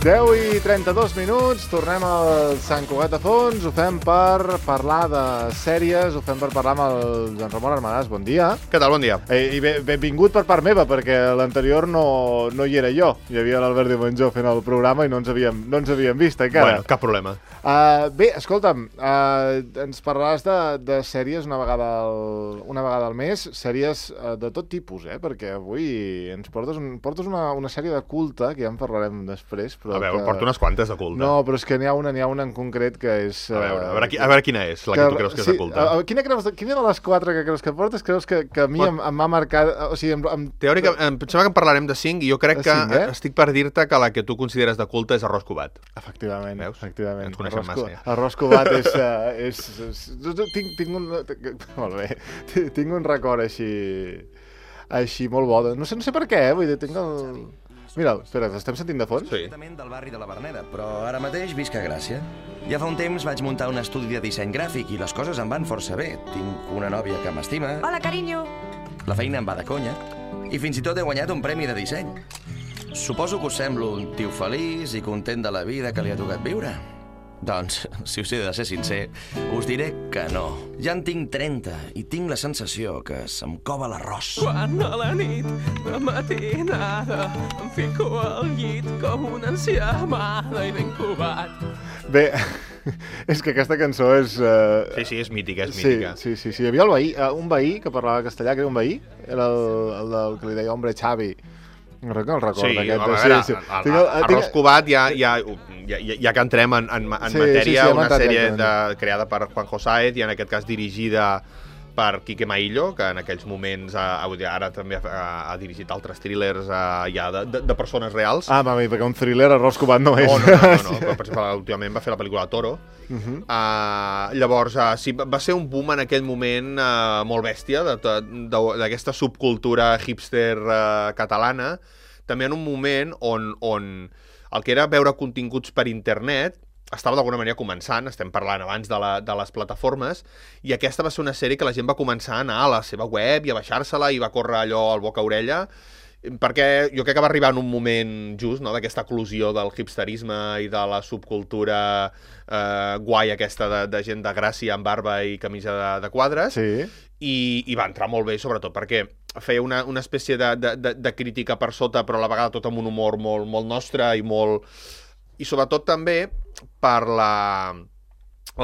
10:32, tornem al Sant Cugat de Fons, ho fem per parlar de sèries, ho fem per parlar amb el Joan Ramon Armadàs, bon dia. Què tal, bon dia? I benvingut per part meva, perquè l'anterior no hi era jo, hi havia l'Albert Diumengó fent el programa i no ens havíem vist encara. Bueno, cap problema. Bé, escolta'm, ens parlaràs de sèries una vegada al mes, sèries de tot tipus, perquè avui ens portes una sèrie de culte, que ja en parlarem després, però a veure, porto unes quantes de culte. No, però és que n'hi ha una en concret que és... A veure quina és la que tu creus que és de culte. Quina de les quatre que creus que portes creus que a mi em va marcar... O sigui, teòricament, em pensava que en parlarem de 5 i jo crec que estic per dir-te que la que tu consideres de culte és Arròs Covat. Efectivament. Veus? Efectivament. Ens coneixem massa, ja. Arròs Covat és... Molt bé. Tinc un record així molt bo. No sé per què, vull dir, tinc el... Mira, espera, estem sentint de fons? Sí. Del barri de la Verneda, però ara mateix visc a Gràcia. Ja fa un temps vaig muntar un estudi de disseny gràfic i les coses em van força bé. Tinc una nòvia que m'estima. Hola, carinyo. La feina em va de conya. I fins i tot he guanyat un premi de disseny. Suposo que us semblo un tio feliç i content de la vida que li ha tocat viure. Doncs, si us he de ser sincer, us diré que no. Ja en tinc 30 i tinc la sensació que se'm cova l'arròs. Quan a la nit de matinada em fico al llit com una ancià amada i ben covat. Bé, és que aquesta cançó és... Sí, és mítica, és mítica. Sí. Hi havia un veí que parlava castellà, que era un veí, era el del que li deia Hombre Xavi. No el recordo aquest. Sí, Arròs Covat ja que entrem en matèria, una sèrie creada per Juanjo Sáez i en aquest cas dirigida per Quique Maillo, que en aquells moments ara també ha dirigit altres thrillers ja de persones reals. Mami, perquè un thriller Arròs Covat no és. No. Però, per exemple, últimament va fer la pel·lícula Toro. Llavors, sí, va ser un boom en aquell moment molt bèstia d'aquesta subcultura hipster catalana, també en un moment on el que era veure continguts per internet estava d'alguna manera començant, estem parlant abans de les plataformes, i aquesta va ser una sèrie que la gent va començar a anar a la seva web i a baixar-se-la i va córrer allò al boca a orella, perquè jo crec que va arribar en un moment just, no?, d'aquesta eclosió del hipsterisme i de la subcultura guai aquesta de gent de Gràcia amb barba i camisa de quadres, sí. I va entrar molt bé, sobretot perquè feia una espècie de crítica per sota, però a la vegada tot amb un humor molt nostre i sobretot també per la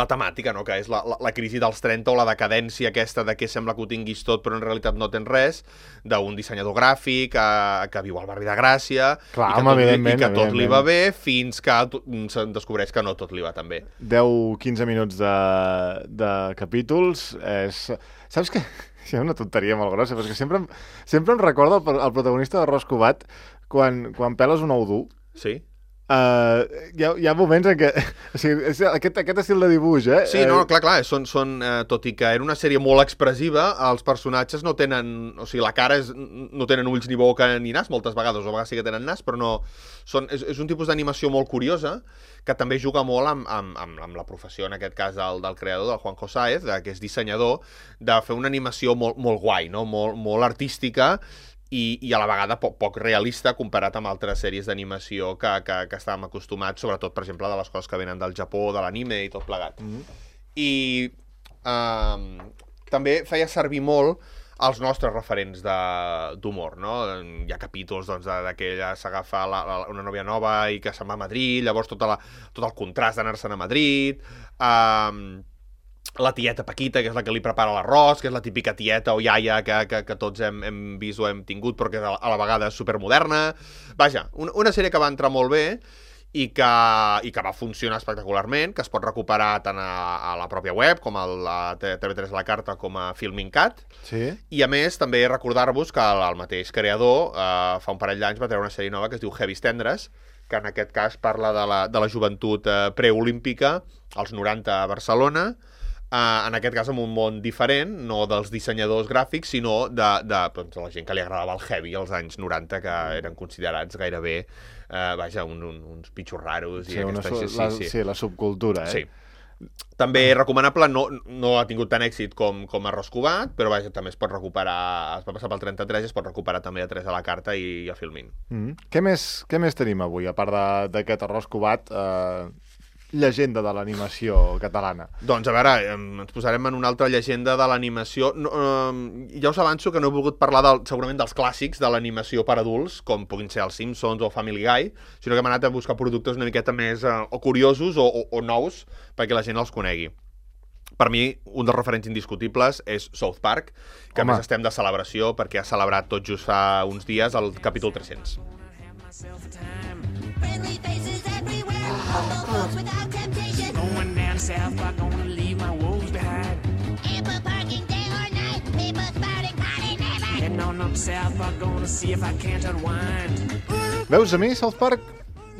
temàtica, no?, que és la crisi dels 30 o la decadència aquesta de que sembla que ho tinguis tot però en realitat no tens res, d'un dissenyador gràfic que viu al barri de Gràcia. Clar, i que tot li va bé fins que se'n descobreix que no tot li va tan bé. 10-15 minuts de capítols saps què? És una tonteria molt grossa, perquè sempre em recorda el protagonista d'Arròs Covat quan peles un ou dur. Sí. Hi ha moments en què... O sigui, aquest estil de dibuix, Sí, no, clar, tot i que era una sèrie molt expressiva, els personatges no tenen... O sigui, la cara no tenen ulls ni boca ni nas, moltes vegades, o a vegades sí que tenen nas, però no... És un tipus d'animació molt curiosa, que també juga molt amb la professió, en aquest cas, del creador, del Juanjo Sáez, que és dissenyador, de fer una animació molt guai, no?, molt artística, i a la vegada poc realista comparat amb altres sèries d'animació que estàvem acostumats, sobretot, per exemple, de les coses que venen del Japó, de l'anime i tot plegat. I també feia servir molt els nostres referents d'humor, no? Hi ha capítols de que ella s'agafa una nòvia nova i que se'n va a Madrid, llavors tot el contrast d'anar-se'n a Madrid, la tieta Paquita, que és la que li prepara l'arròs, que és la típica tieta o iaia que tots hem vist o hem tingut, però que a la vegada és supermoderna. Vaja, una sèrie que va entrar molt bé i que va funcionar espectacularment, que es pot recuperar tant a la pròpia web, com a la TV3 a la carta, com a Filmin Cat. Sí. I a més, també recordar-vos que el mateix creador fa un parell d'anys va treure una sèrie nova que es diu Heavis Tendres, que en aquest cas parla de la joventut preolímpica, als 90 a Barcelona, en aquest cas en un món diferent, no dels dissenyadors gràfics, sinó de la gent que li agradava el heavy als anys 90, que eren considerats gairebé uns pitxos raros. Sí, la subcultura, Sí. També recomanable, no ha tingut tant èxit com Arròs Covat, però vaja, també es pot recuperar, es va passar pel 33 i es pot recuperar també a 3 a la carta i a Filmin. Què més tenim avui, a part d'aquest Arròs Covat, llegenda de l'animació catalana? Doncs, a veure, ens posarem en una altra llegenda de l'animació. Ja us avanço que no he volgut parlar segurament dels clàssics de l'animació per adults, com puguin ser els Simpsons o Family Guy, sinó que hem anat a buscar productes una miqueta més o curiosos o nous perquè la gent els conegui. Per mi, un dels referents indiscutibles és South Park, que a més estem de celebració perquè ha celebrat tot just fa uns dies el capítol 300. Friendly faces everywhere. Humble folks without temptation. Going down south, I'm gonna leave my woes behind. Ample parking day or night. People spouting party never. Heading on up south, I'm gonna see if I can't unwind. Veus, a mi South Park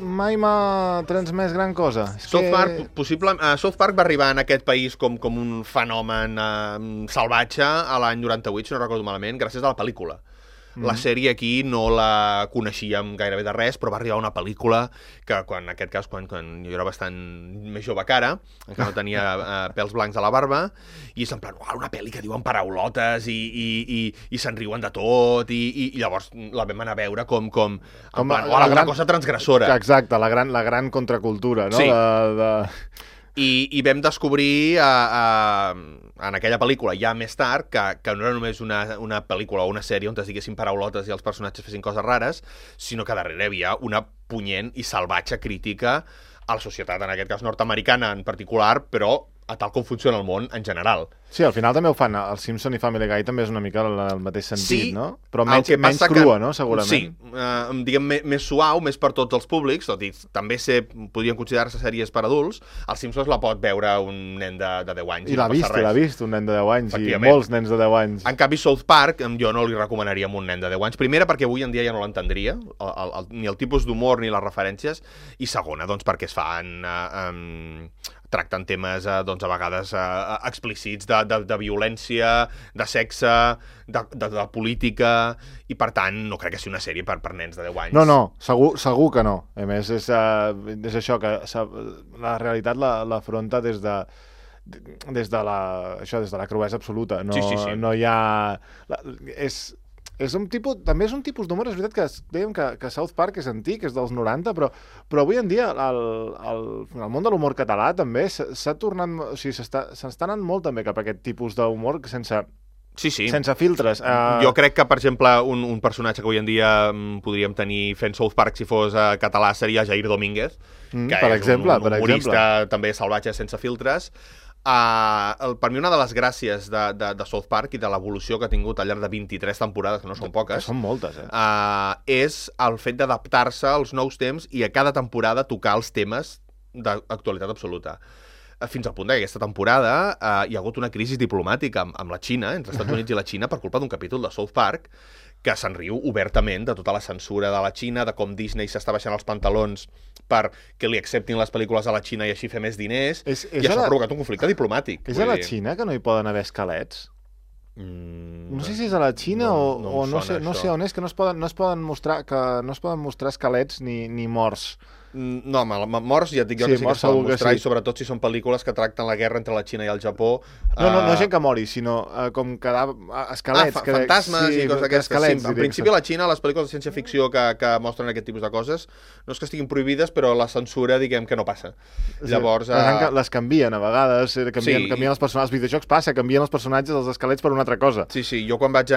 mai m'ha transmès gran cosa. South Park va arribar en aquest país com un fenomen salvatge a l'any 98, si no recordo malament, gràcies a la pel·lícula. La sèrie aquí no la coneixíem gairebé de res, però va arribar una pel·lícula que, en aquest cas, quan jo era bastant més jove que ara, que no tenia pèls blancs a la barba, i és en plan, una pel·li que diuen paraulotes i se'n riuen de tot, i llavors la vam anar a veure com una cosa transgressora. Exacte, la gran contracultura, no? Sí. I vam descobrir en aquella pel·lícula, ja més tard, que no era només una pel·lícula o una sèrie on es diguessin paraulotes i els personatges fessin coses rares, sinó que darrere hi havia una punyent i salvatge crítica a la societat, en aquest cas nord-americana en particular, però a tal com funciona el món en general. Sí, al final també ho fan. El Simpson i Family Guy també és una mica el mateix sentit, sí, no? Però menys crua, no? Segurament. Sí, diguem més suau, més per tots els públics, tot i també podrien considerar-se sèries per adults. Els Simpsons la pot veure un nen de 10 anys. I l'ha vist un nen de 10 anys, i molts nens de 10 anys. En canvi, South Park jo no li recomanaria a un nen de 10 anys. Primera, perquè avui en dia ja no l'entendria, ni el tipus d'humor ni les referències, i segona, doncs, perquè es fan... tracten temes, doncs, a vegades explícits de violència, de sexe, de política, i per tant no crec que sigui una sèrie per nens de 10 anys. No, segur que no. A més, és això, que la realitat l'afronta des de la cruesa absoluta. No, sí. No hi ha... també és un tipus d'humor, és veritat que dèiem que South Park és antic, és dels 90, però avui en dia el món de l'humor català també s'ha tornat... O sigui, s'està anant molt també cap a aquest tipus d'humor sense filtres. Jo crec que, per exemple, un personatge que avui en dia podríem tenir fent South Park si fos català seria Jair Domínguez, que és un humorista també salvatge sense filtres. Per mi una de les gràcies de South Park i de l'evolució que ha tingut al llarg de 23 temporades, que no són poques, que són moltes, és el fet d'adaptar-se als nous temps i a cada temporada tocar els temes d'actualitat absoluta. Fins al punt que aquesta temporada hi ha hagut una crisi diplomàtica amb la Xina, entre els Estats Units i la Xina, per culpa d'un capítol de South Park, que se'n riu obertament de tota la censura de la Xina, de com Disney s'està baixant els pantalons perquè li acceptin les pel·lícules a la Xina i així fer més diners, i això ha provocat un conflicte diplomàtic. És a la Xina que no hi poden haver esquelets? No sé si és a la Xina o no sé on és, que no es poden mostrar esquelets ni morts. No, morts ja et dic jo que sí que es poden mostrar, i sobretot si són pel·lícules que tracten la guerra entre la Xina i el Japó. No gent que mori, sinó com esquelets. Fantasmes i coses d'aquestes. En principi a la Xina les pel·lícules de ciència-ficció que mostren aquest tipus de coses no és que estiguin prohibides, però la censura diguem que no passa. Llavors... Les canvien a vegades, canvien els personatges, els videojocs passa, canvien els personatges, els esquelets per una altra cosa. Sí, jo quan vaig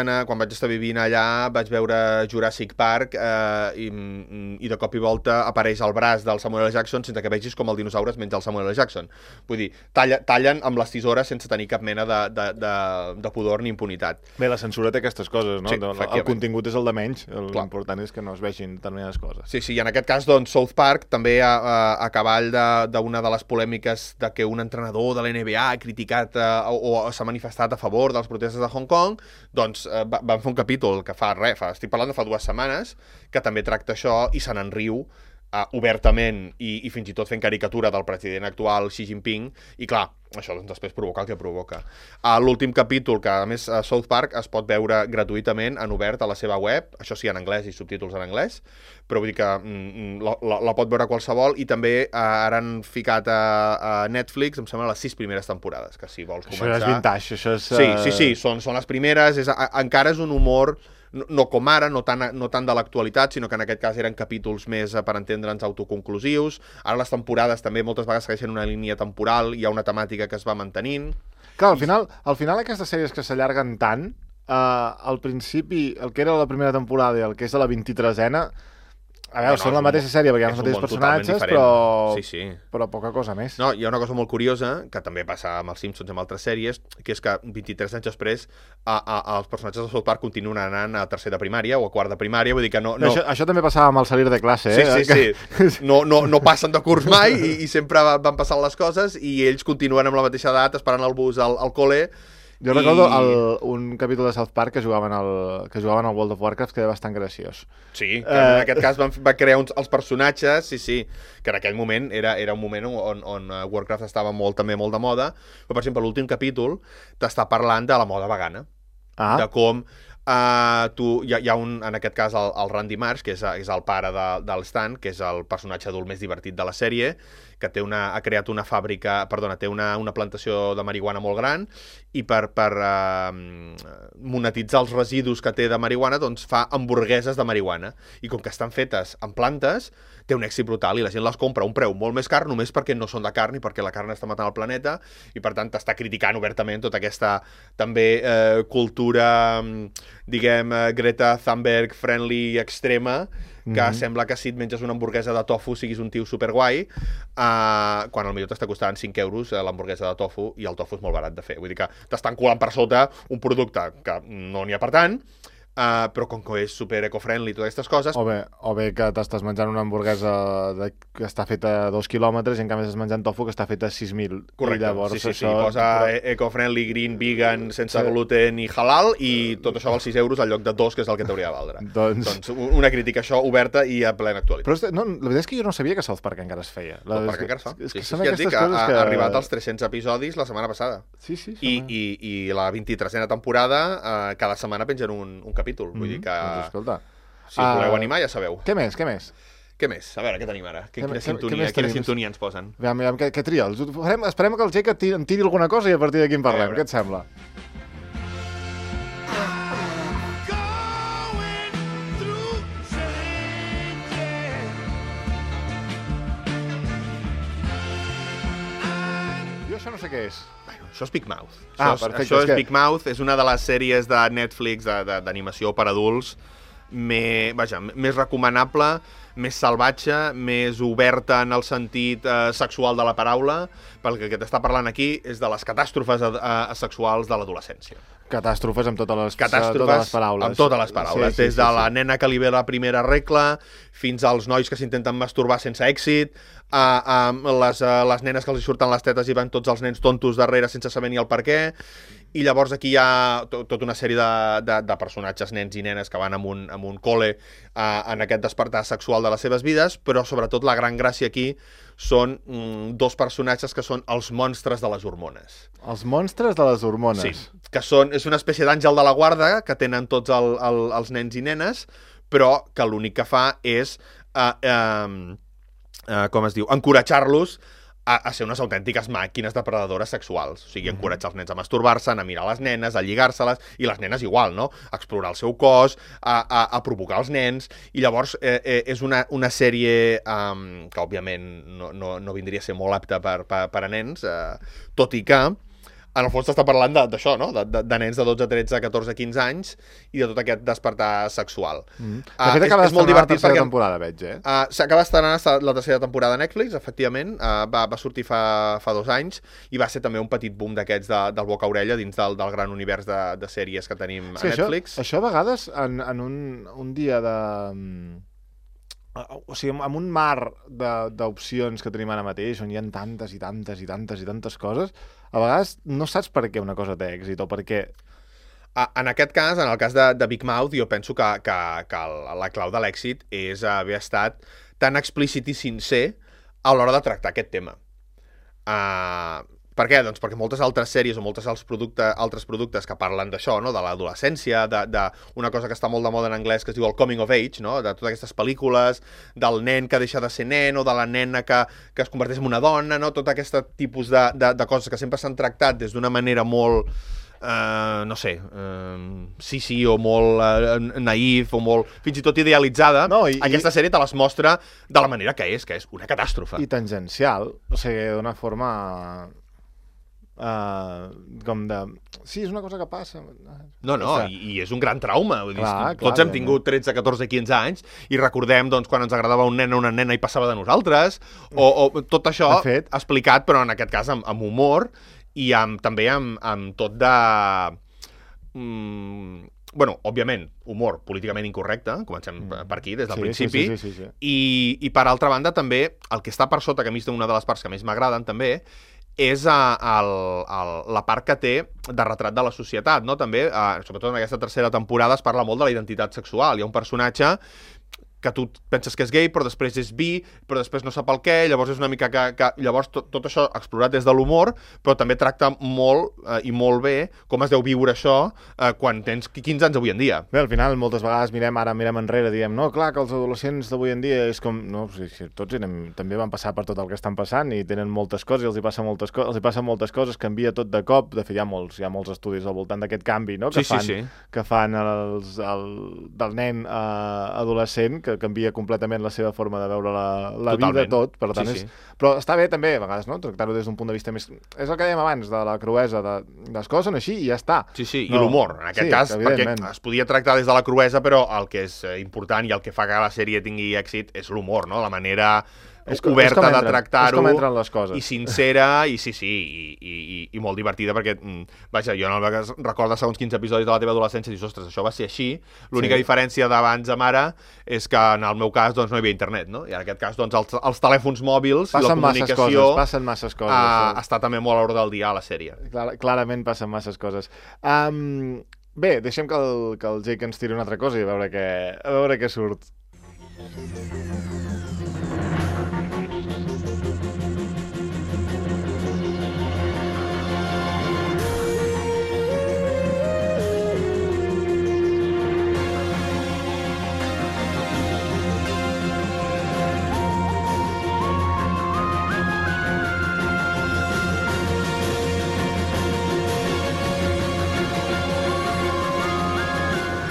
estar vivint allà vaig veure Jurassic Park i de cop i volta apareix el braç del Samuel L. Jackson sense que vegis com el dinosaure es menja el Samuel L. Jackson. Vull dir, tallen amb les tisores sense tenir cap mena de pudor ni impunitat. Bé, la censura té aquestes coses, no? Sí, el contingut és el de menys, l'important és que no es vegin determinades coses. Sí, i en aquest cas, doncs, South Park també a cavall d'una de les polèmiques de que un entrenador de la NBA ha criticat o s'ha manifestat a favor dels protestes de Hong Kong, doncs van fer un capítol que estic parlant de fa 2 setmanes, que també tracta això i se n'en riu obertament i fins i tot fent caricatura del president actual Xi Jinping, i clar, això doncs, després provoca el que provoca. L'últim capítol, que a més South Park es pot veure gratuïtament en obert a la seva web, això sí en anglès i subtítols en anglès, però vull dir que la pot veure qualsevol, i també ara han ficat a Netflix, em sembla, les 6 primeres temporades, que si vols començar... Això és vintage, això és... Sí, són les primeres, encara és un humor... No com ara, no tant de l'actualitat, sinó que en aquest cas eren capítols més, per entendre'ns, autoconclusius. Ara les temporades també moltes vegades segueixen una línia temporal, hi ha una temàtica que es va mantenint. Clar, al final aquestes sèries que s'allarguen tant, al principi, el que era la primera temporada i el que és de la 23a, a veure, són la mateixa sèrie perquè hi ha els mateixos personatges, però poca cosa més. No, hi ha una cosa molt curiosa, que també passa amb els Simpsons i amb altres sèries, que és que 23 anys després els personatges de South Park continuen anant a tercer de primària o a quart de primària, vull dir que no... Això també passava amb el salir de classe, eh? Sí. No passen de curs mai i sempre van passant les coses i ells continuen amb la mateixa edat esperant el bus al col·le. Jo recordo un capítol de South Park que jugaven al World of Warcraft que era bastant graciós. Sí, que en aquest cas va crear els personatges, sí, que en aquell moment era un moment on Warcraft estava també molt de moda, però per exemple l'últim capítol t'està parlant de la moda vegana, de com hi ha en aquest cas el Randy Marsh, que és el pare del Stan, que és el personatge adult més divertit de la sèrie, que ha creat una té una plantació de marihuana molt gran, i per monetitzar els residus que té de marihuana, doncs fa hamburgueses de marihuana, i com que estan fetes en plantes, té un èxit brutal, i la gent les compra a un preu molt més car, només perquè no són de carn i perquè la carn està matant el planeta, i per tant t'està criticant obertament tota aquesta també cultura, diguem, Greta Thunberg friendly extrema, que sembla que si et menges una hamburguesa de tofu siguis un tio superguai, quan al millor t'està costant 5 euros l'hamburguesa de tofu, i el tofu és molt barat de fer. Vull dir que t'estan colant per sota un producte que no n'hi ha per tant, però com que és super eco-friendly i totes aquestes coses... O bé que t'estàs menjant una hamburguesa que està feta a 2 quilòmetres i en canvi estàs menjant tofu que està feta a 6.000. Correcte, sí. Posa eco-friendly, green, vegan, sense gluten i halal, i tot això val 6 euros al lloc de 2, que és el que t'hauria de valdre. Doncs una crítica això oberta i a plena actualitat. Però la veritat és que jo no sabia que South Park encara es feia. South Park encara es fa. Sí, ja et dic que ha arribat als 300 episodis la setmana passada. Sí. I la 23a temporada cada setmana pengen un capítol. Vull dir que... Doncs escolta. Si us voleu animar, ja sabeu. Què més? Què més? A veure, què tenim ara? Quina sintonia ens posen? Aviam, què tria? Esperem que el Jake em tiri alguna cosa i a partir d'aquí en parlem. Què et sembla? Jo això no sé què és. Això és Big Mouth. Perfecte. Això és Big Mouth, és una de les sèries de Netflix d'animació per adults més recomanable, més salvatge, més oberta en el sentit sexual de la paraula, perquè el que t'està parlant aquí és de les catàstrofes sexuals de l'adolescència. Catàstrofes amb totes les paraules. Amb totes les paraules. Des de la nena que li ve la primera regla, fins als nois que s'intenten masturbar sense èxit, a les nenes que els surten les tetes i van tots els nens tontos darrere sense saber ni el per què. I llavors aquí hi ha tota una sèrie de personatges, nens i nenes, que van amb un col·le en aquest despertar sexual de les seves vides, però sobretot la gran gràcia aquí són dos personatges que són els monstres de les hormones. Els monstres de les hormones? Sí, que és una espècie d'àngel de la guarda que tenen tots els nens i nenes, però que l'únic que fa és, encoratjar-los a ser unes autèntiques màquines depredadores sexuals. O sigui, encoratjar els nens a masturbar-se, a mirar les nenes, a lligar-se-les, i les nenes igual, no? A explorar el seu cos, a provocar els nens, i llavors és una sèrie que, òbviament, no vindria a ser molt apta per a nens, tot i que en el fons t'està parlant d'això, no? De nens de 12, 13, 14, 15 anys i de tot aquest despertar sexual. De fet, acaba d'estrenar la tercera temporada, veig, S'acaba d'estrenar la tercera temporada a Netflix, efectivament. Va sortir fa 2 anys i va ser també un petit boom d'aquests del boca a orella dins del gran univers de sèries que tenim a Netflix. Això a vegades, en un dia de... O sigui, amb un mar d'opcions que tenim ara mateix, on hi ha tantes i tantes i tantes i tantes coses, a vegades no saps per què una cosa té èxit o per què... En aquest cas, en el cas de Big Mouth, jo penso que la clau de l'èxit és haver estat tan explícit i sincer a l'hora de tractar aquest tema. Per què? Doncs perquè moltes altres sèries o moltes altres productes que parlen d'això, no? De l'adolescència, d'una cosa que està molt de moda en anglès que es diu el coming of age, no? De totes aquestes pel·lícules, del nen que deixa de ser nen o de la nena que es converteix en una dona, no? Tot aquest tipus de coses que sempre s'han tractat des d'una manera molt... no sé, sí, o molt naïf, o molt, fins i tot idealitzada, aquesta sèrie te les mostra de la manera que és una catàstrofe. I tangencial, o sigui, d'una forma... com de... Sí, és una cosa que passa. No, i és un gran trauma. Vull dir, tots hem tingut 13, 14, 15 anys i recordem doncs, quan ens agradava un nen o una nena i passava de nosaltres, o tot això explicat, però en aquest cas amb humor i també amb tot de... Bueno, òbviament, humor políticament incorrecte, comencem per aquí, des del principi, sí. I per altra banda també, el que està per sota, que a mi és una de les parts que més m'agraden també, és la part que té de retrat de la societat, no? També, sobretot en aquesta tercera temporada, es parla molt de la identitat sexual. Hi ha un personatge que tu penses que és gay, però després és bi, però després no sap el què, llavors és una mica que llavors tot això explorat des de l'humor, però també tracta molt i molt bé com es deu viure això quan tens 15 anys avui en dia. Bé, al final, moltes vegades mirem enrere, diem, no, clar, que els adolescents d'avui en dia és com... No, tots també van passar per tot el que estan passant i tenen moltes coses i els hi passen moltes coses, canvia tot de cop. De fet, hi ha molts estudis al voltant d'aquest canvi, no? Que fan del nen adolescent, que canvia completament la seva forma de veure la vida, tot. Per tant, però està bé també, a vegades, no? Tractar-ho des d'un punt de vista més... És el que dèiem abans, de la cruesa, les coses són així i ja està. Sí, i l'humor, en aquest cas, perquè es podia tractar des de la cruesa, però el que és important i el que fa que la sèrie tingui èxit és l'humor, no? La manera... oberta de tractar-ho i sincera i i molt divertida perquè, vaja, jo no recordo segons quins episodis de la teva adolescència i dius, ostres, això va ser així. L'única diferència d'abans amb ara és que en el meu cas doncs no hi havia internet, no? I en aquest cas doncs els telèfons mòbils i la comunicació passen masses coses, està també molt a l'hora del dia a la sèrie. Clarament passen masses coses. Bé, deixem que el Jake ens tiri una altra cosa i a veure què surt.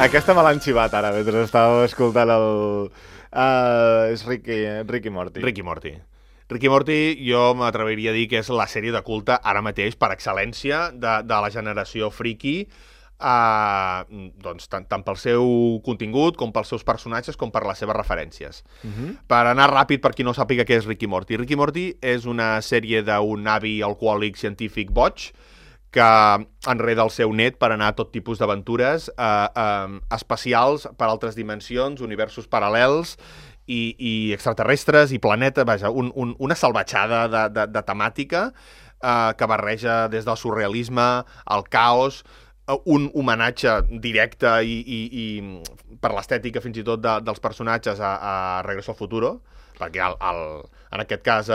Aquesta me l'han xivat ara, mentre estava escoltant és Rick i Morty. Rick i Morty jo m'atreviria a dir que és la sèrie de culte ara mateix per excel·lència de la generació friki, doncs, tant pel seu contingut com pels seus personatges com per les seves referències. Per anar ràpid, per qui no sàpiga què és Rick i Morty. Rick i Morty és una sèrie d'un avi alcohòlic científic boig que enreda el seu net per anar a tot tipus d'aventures espacials per altres dimensions, universos paral·lels i extraterrestres i planeta, vaja, una salvatjada de temàtica que barreja des del surrealisme, el caos, un homenatge directe i per l'estètica fins i tot dels personatges a Regreso al Futuro, perquè en aquest cas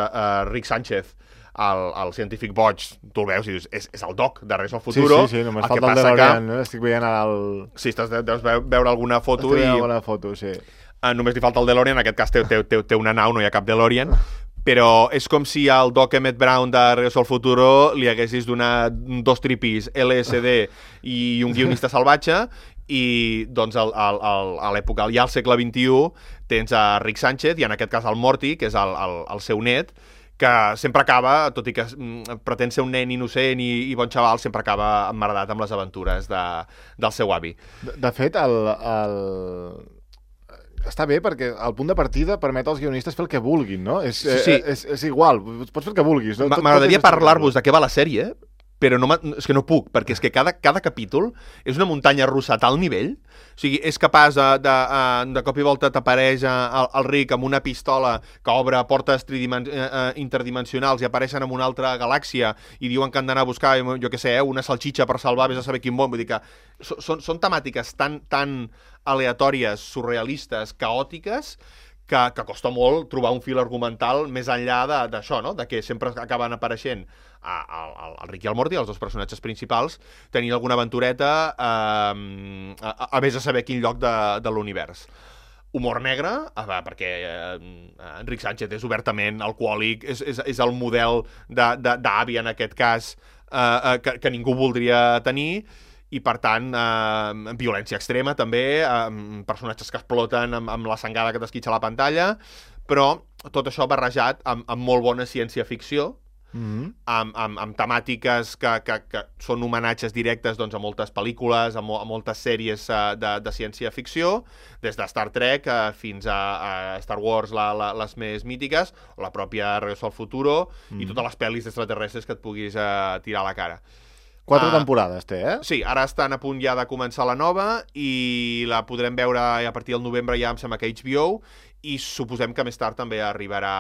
Rick Sánchez, el científic boig, tu el veus i dius, és el Doc de Regreso al Futuro. Sí, només falta el DeLorean, no? Estic veient el... Sí, deus veure alguna foto i... alguna foto, sí. Només li falta el DeLorean, en aquest cas té una nau, no hi ha cap DeLorean, però és com si al Doc Emmett Brown de Regreso al Futuro li haguessis donat 2 tripis, LSD i un guionista salvatge, i doncs a l'època, ja al segle XXI, tens a Rick Sánchez i en aquest cas el Morty, que és el seu net, que sempre acaba, tot i que pretén ser un nen innocent i bon xaval, sempre acaba emmerdat amb les aventures del seu avi. De fet, està bé perquè el punt de partida permet als guionistes fer el que vulguin, no? És igual, pots fer el que vulguis. No? M'agradaria parlar-vos de què va la sèrie, però és que no puc, perquè és que cada capítol és una muntanya russa a tal nivell, o sigui, és capaç de cop i volta t'apareix el Rick amb una pistola que obre portes interdimensionals i apareixen en una altra galàxia i diuen que han d'anar a buscar, jo què sé, una salxitxa per salvar, vés a saber quin món, vull dir que són temàtiques tan aleatòries, surrealistes, caòtiques, que costa molt trobar un fil argumental més enllà d'això, no? De que sempre acaben apareixent el Rick i el Morty, els dos personatges principals, tenint alguna aventureta a més de saber quin lloc de l'univers. Humor negre, perquè Enric Sánchez és obertament alcohòlic, és el model d'avi en aquest cas que ningú voldria tenir, i per tant violència extrema també, personatges que exploten amb la sangada que t'esquitxa a la pantalla, però tot això barrejat amb molt bona ciència-ficció, amb temàtiques que són homenatges directes doncs, a moltes pel·lícules, a moltes sèries de ciència-ficció, des de Star Trek fins a Star Wars, les més mítiques, o la pròpia Regreso al Futuro, i totes les pel·lis d'extraterrestres que et puguis tirar a la cara. 4 temporades té, Sí, ara estan a punt ja de començar la nova i la podrem veure a partir del novembre ja em sembla que HBO, i suposem que més tard també arribarà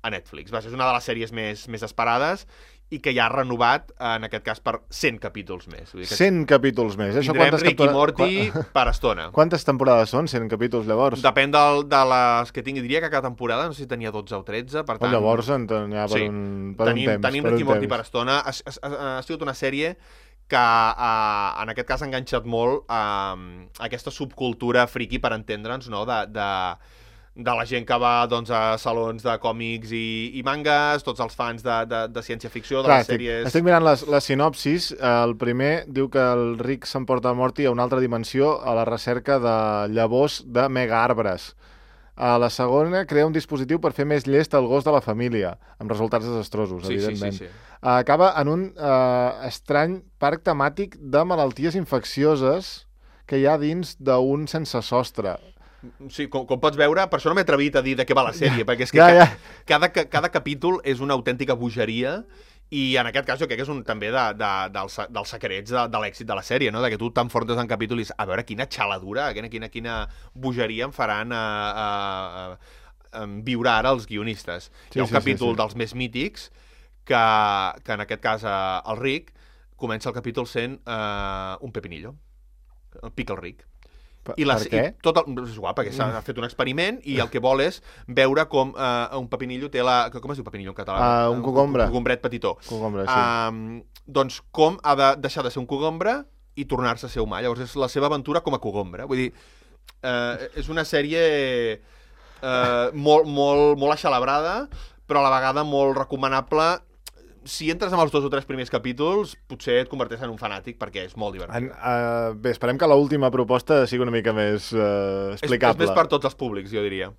a Netflix. És una de les sèries més esperades i que ja ha renovat, en aquest cas, per 100 capítols més. 100 capítols més. Tindrem Rick i Morty per estona. Quantes temporades són 100 capítols, llavors? Depèn de les que tingui. Diria que cada temporada, no sé si tenia 12 o 13, per tant... Llavors en tenia per un temps. Tenim Rick i Morty per estona. Ha sigut una sèrie que en aquest cas ha enganxat molt aquesta subcultura friki, per entendre'ns, no? De la gent que va doncs, a salons de còmics i mangas, tots els fans de ciència-ficció, de les sèries... Estic mirant les sinopsis. El primer diu que el Rick s'emporta el Morty a una altra dimensió a la recerca de llavors de megaarbres. A la segona crea un dispositiu per fer més llest el gos de la família, amb resultats desastrosos, evidentment. Sí. Acaba en un estrany parc temàtic de malalties infeccioses que hi ha dins d'un sense sostre. Sí, com pots veure, per això no m'he atrevit a dir de què va la sèrie, perquè és que cada capítol és una autèntica bogeria, i en aquest cas jo crec que és un també dels secrets de l'èxit de la sèrie, no? De que tu t'enfrontes en capítol i dius, a veure quina xaladura, quina bogeria em faran viure ara els guionistes. Hi ha un capítol dels més mítics que en aquest cas el Rick comença el capítol sent un pepinillo, el Pickle Rick. Per què? És igual, perquè s'ha fet un experiment i el que vol és veure com un pepinillo té com es diu pepinillo en català? Un cogombre. Un cogombret petitó. Cogombre, sí. Doncs com ha de deixar de ser un cogombre i tornar-se a ser humà. Llavors és la seva aventura com a cogombre. Vull dir, és una sèrie molt axalabrada, però a la vegada molt recomanable. Si entres amb els 2 o 3 primers capítols, potser et converteixes en un fanàtic, perquè és molt divertit. Bé, esperem que l'última proposta sigui una mica més explicable. És més per tots els públics, jo diria.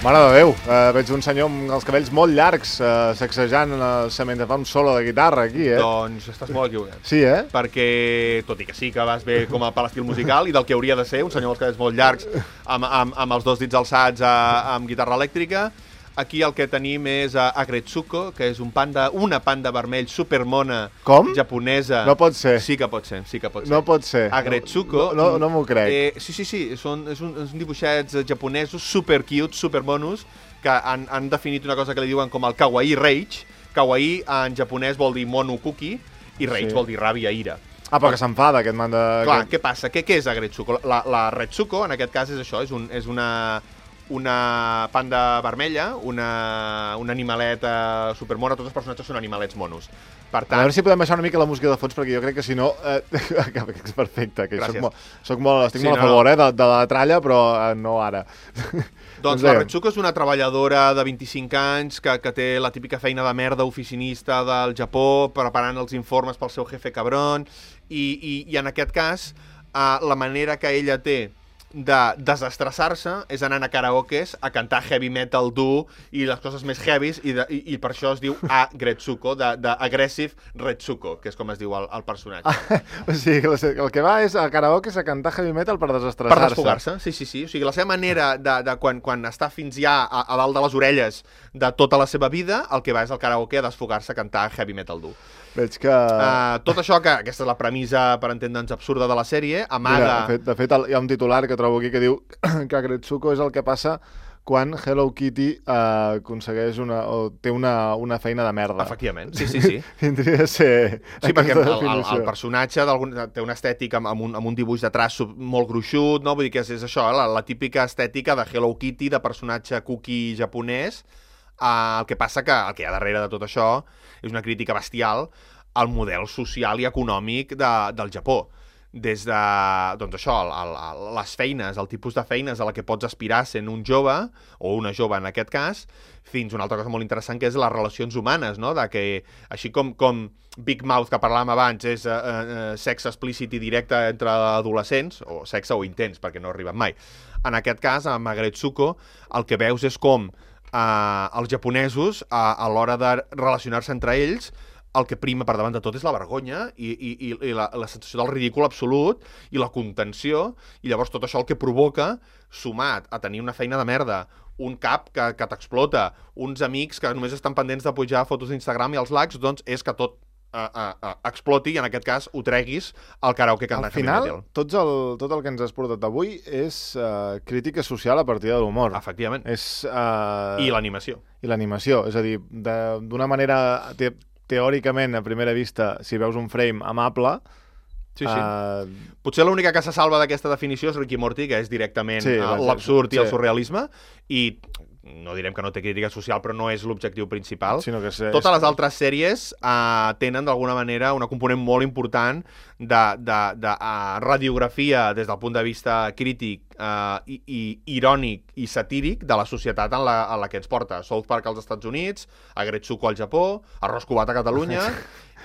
Mare de Déu, veig un senyor amb els cabells molt llargs sacsejant mentre fa un solo de guitarra aquí, Doncs estàs molt equivocat. Sí, Perquè, tot i que sí que vas bé com per l'estil musical i del que hauria de ser un senyor amb els cabells molt llargs amb els 2 dits alçats amb guitarra elèctrica, aquí el que tenim és Agretsuko, que és una panda vermell supermona japonesa. No pot ser. Sí que pot ser. No pot ser. Agretsuko. No m'ho crec. Sí. Són dibuixets japonesos super cute, super monos, que han definit una cosa que li diuen com el kawaii rage. Kawaii en japonès vol dir mono cookie i rage vol dir ràbia, ira. Però que s'enfada aquest man de... Clar, què passa? Què és Agretsuko? La Retsuko, en aquest cas, és això, és una panda vermella, un animalet supermona, tots els personatges són animalets monos. Per tant... A veure si podem baixar una mica la música de fons, perquè jo crec que si no... és perfecte, que estic molt a favor de la tralla, però no ara. Doncs la Retsuko és una treballadora de 25 anys que té la típica feina de merda oficinista del Japó, preparant els informes pel seu jefe cabron, i en aquest cas, la manera que ella té de desestressar-se és anant a karaokes a cantar heavy metal dur i les coses més heavies, i per això es diu Agretsuko, d'Aggressive Retsuko, que és com es diu el personatge. O sigui, el que va és a karaokes a cantar heavy metal per desestressar-se. Per desfogar-se, sí. O sigui, la seva manera de quan està fins ja a dalt de les orelles de tota la seva vida, el que va és al karaoke a desfogar-se a cantar heavy metal dur. Veig que... Tot això, que aquesta és la premissa, per entendre'ns, absurda de la sèrie, amaga... Mira, de fet, hi ha un titular que trobo aquí que diu que Agretsuko és el que passa quan Hello Kitty aconsegueix té una feina de merda. Efectivament, sí. Tindria de ser Sí, perquè definició. el personatge té una estètica amb un dibuix de traç molt gruixut, no? Vull dir que és això, la típica estètica de Hello Kitty, de personatge cookie japonès. El que passa que el que hi ha darrere de tot això és una crítica bestial al model social i econòmic del Japó. Des de, doncs això, les feines, el tipus de feines a la que pots aspirar sent un jove, o una jove en aquest cas, fins a una altra cosa molt interessant que és les relacions humanes, no? De que, així com Big Mouth, que parlàvem abans, és sexe explícit i directe entre adolescents, o sexe o intens, perquè no arriben mai. En aquest cas, amb Agretsuko, el que veus és com els japonesos, a l'hora de relacionar-se entre ells, el que prima per davant de tot és la vergonya i la sensació del ridícul absolut i la contenció, i llavors tot això el que provoca, sumat a tenir una feina de merda, un cap que t'explota, uns amics que només estan pendents de pujar fotos d'Instagram i els likes, doncs és que tot exploti i en aquest cas ho treguis al karaoke cantant. Al final, tot el que ens has portat avui és crítica social a partir de l'humor. Efectivament. I l'animació. I l'animació, és a dir, d'una manera teòricament, a primera vista, si veus un frame amable... Sí. Potser l'única que se salva d'aquesta definició és Rick i Morty, que és directament l'absurd i el surrealisme, i no direm que no té crítica social, però no és l'objectiu principal. Totes les altres sèries tenen d'alguna manera una component molt important de radiografia des del punt de vista crític i irònic i satíric de la societat en la que ens porta. South Park als Estats Units, Agretsuko al Japó, Arròs Cubat a Catalunya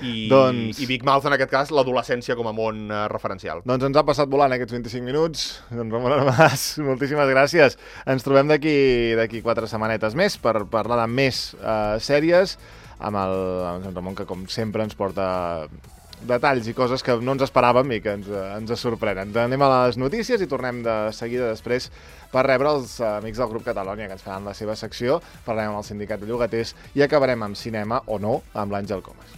i Big Mouth, en aquest cas, l'adolescència com a món referencial. Doncs ens ha passat volant aquests 25 minuts. Doncs Ramon Armàs, moltíssimes gràcies. Ens trobem d'aquí 4 setmanetes més per parlar de més sèries amb en Ramon, que com sempre ens porta detalls i coses que no ens esperàvem i que ens sorprenen. Anem a les notícies i tornem de seguida després per rebre els amics del grup Catalònia, que ens faran la seva secció. Parlarem amb el sindicat de llogaters i acabarem amb cinema o no amb l'Àngel Comas.